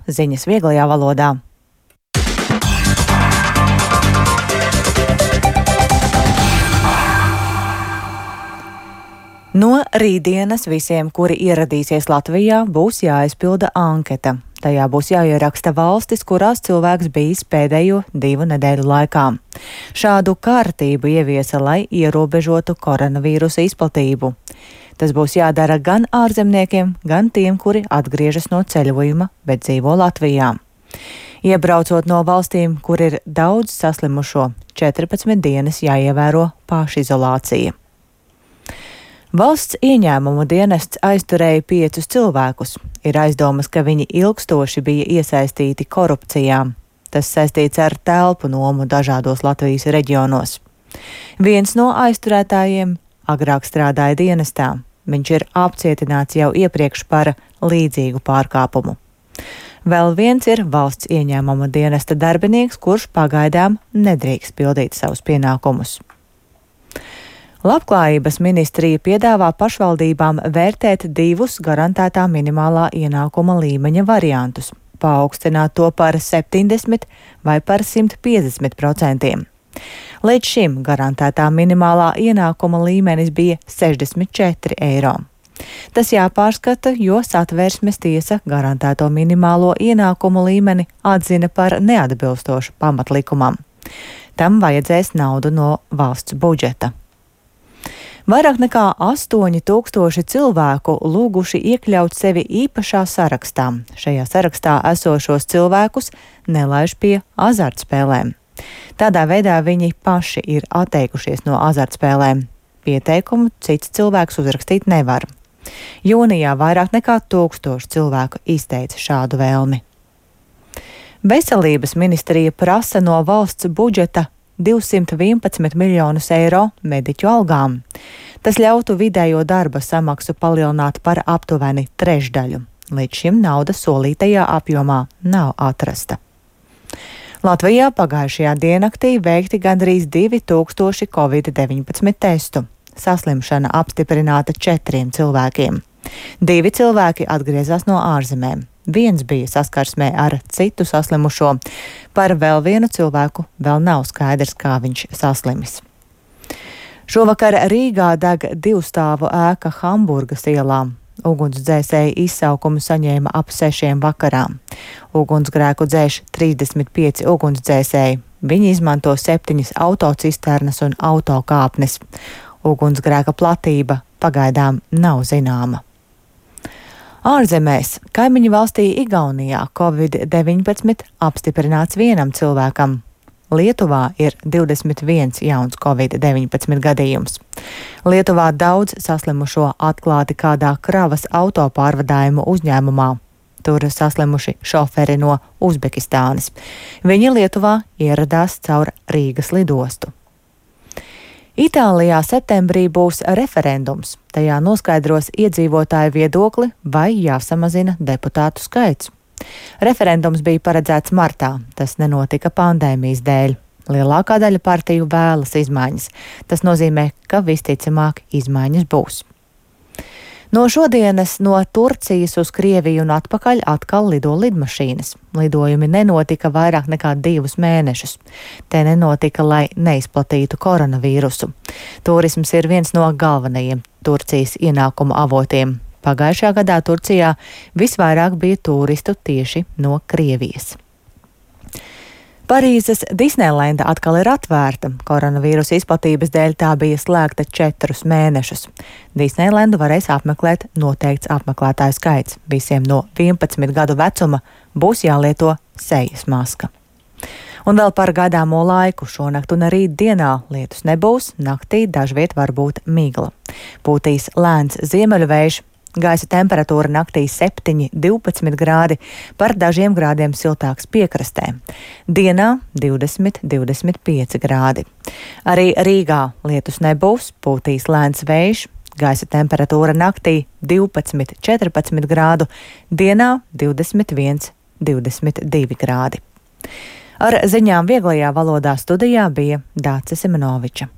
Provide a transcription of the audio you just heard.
ziņas vieglajā valodā. No rītdienas visiem, kuri ieradīsies Latvijā, būs jāizpilda anketa. Tajā būs jāieraksta valstis, kurās cilvēks bijis pēdējo 2 nedēļu laikā. Šādu kārtību ieviesa, lai ierobežotu koronavīrusa izplatību. Tas būs jādara gan ārzemniekiem, gan tiem, kuri atgriežas no ceļojuma, bet dzīvo Latvijā. Iebraucot no valstīm, kur ir daudz saslimušo, 14 dienas jāievēro pašizolācija. Valsts ieņēmumu dienests aizturēja 5 cilvēkus. Ir aizdomas, ka viņi ilgstoši bija iesaistīti korupcijā. Tas saistīts ar telpu nomu dažādos Latvijas reģionos. Viens no aizturētājiem agrāk strādāja dienestā. Viņš ir apcietināts jau iepriekš par līdzīgu pārkāpumu. Vēl viens ir valsts ieņēmuma dienesta darbinieks, kurš pagaidām nedrīkst pildīt savus pienākumus. Labklājības ministrija piedāvā pašvaldībām vērtēt 2 garantētā minimālā ienākuma līmeņa variantus, paaugstināt to par 70 vai par 150%. Līdz šim garantētā minimālā ienākuma līmenis bija 64 eiro. Tas jāpārskata, jo Satversmes tiesa garantēto minimālo ienākumu līmeni atzina par neatbilstošu pamatlikumam. Tam vajadzēs naudu no valsts budžeta. Vairāk nekā 8000 cilvēku lūguši iekļaut sevi īpašā sarakstā. Šajā sarakstā esošos cilvēkus nelaiž pie azartspēlēm. Tādā veidā viņi paši ir atteikušies no azartspēlēm. Pieteikumu cits cilvēks uzrakstīt nevar. Jūnijā vairāk nekā 1000 cilvēku izteica šādu vēlmi. Veselības ministrija prasa no valsts budžeta 211 miljonus eiro mediķu algām. Tas ļautu vidējo darba samaksu palielināt par aptuveni trešdaļu. Līdz šim nauda solītajā apjomā nav atrasta. Latvijā pagājušajā diennaktī veikti gandrīz 2000 Covid-19 testu. Saslimšana apstiprināta 4 cilvēkiem. 2 cilvēki atgriezās no ārzemēm. Viens bija saskarsmē ar citu saslimušo. Par vēl vienu cilvēku vēl nav skaidrs, kā viņš saslimis. Šovakar Rīgā deg 2-stāvu ēka Hamburgas ielā. Ugunsdzēsēji izsaukumu saņēma ap 6 vakarā. Ugunsgrēku dzēš 35 ugunsdzēsēji. Viņi izmanto 7 autocisternas un autokāpnes. Ugunsgrēka platība pagaidām nav zināma. Ārzemēs, kaimiņu valstī Igaunijā, Covid-19 apstiprināts vienam cilvēkam. Lietuvā ir 21 jauns Covid-19 gadījums. Lietuvā daudz saslimušo atklāti kādā kravas autopārvadājumu uzņēmumā. Tur saslimuši šoferi no Uzbekistānas. Viņi Lietuvā ieradās caur Rīgas lidostu. Itālijā septembrī būs referendums. Tajā noskaidros iedzīvotāju viedokli, vai jāsamazina deputātu skaits. Referendums bija paredzēts martā, tas nenotika pandēmijas dēļ. Lielākā daļa partiju vēlas izmaiņas. Tas nozīmē, ka visticamāk izmaiņas būs. No šodienas no Turcijas uz Krieviju un atpakaļ atkal lido lidmašīnas. Lidojumi nenotika vairāk nekā 2 mēnešus. Te nenotika, lai neizplatītu koronavīrusu. Turisms ir viens no galvenajiem Turcijas ienākumu avotiem. Pagājušajā gadā Turcijā visvairāk bija turistu tieši no Krievijas. Parīzes Disneilenda atkal ir atvērta. Koronavīrusa izplatības dēļ tā bija slēgta 4 mēnešus. Disneilendu varēs apmeklēt noteikts apmeklētāju skaits. Visiem no 11 gadu vecuma būs jālieto sejas maska. Un vēl par gaidāmo laiku. Šonakt un rīt dienā lietus nebūs, naktī dažviet var būt migla. Pūtīs lēns ziemeļu vējš. Gaisa temperatūra naktī 7–12 grādi, par dažiem grādiem siltāks piekrastē. Dienā 20–25 grādi. Arī Rīgā lietus nebūs, pūtīs lēns vējš, gaisa temperatūra naktī 12–14 grādu, dienā 21–22 grādi. Ar ziņām vieglajā valodā studijā bija Dāce Simenoviča.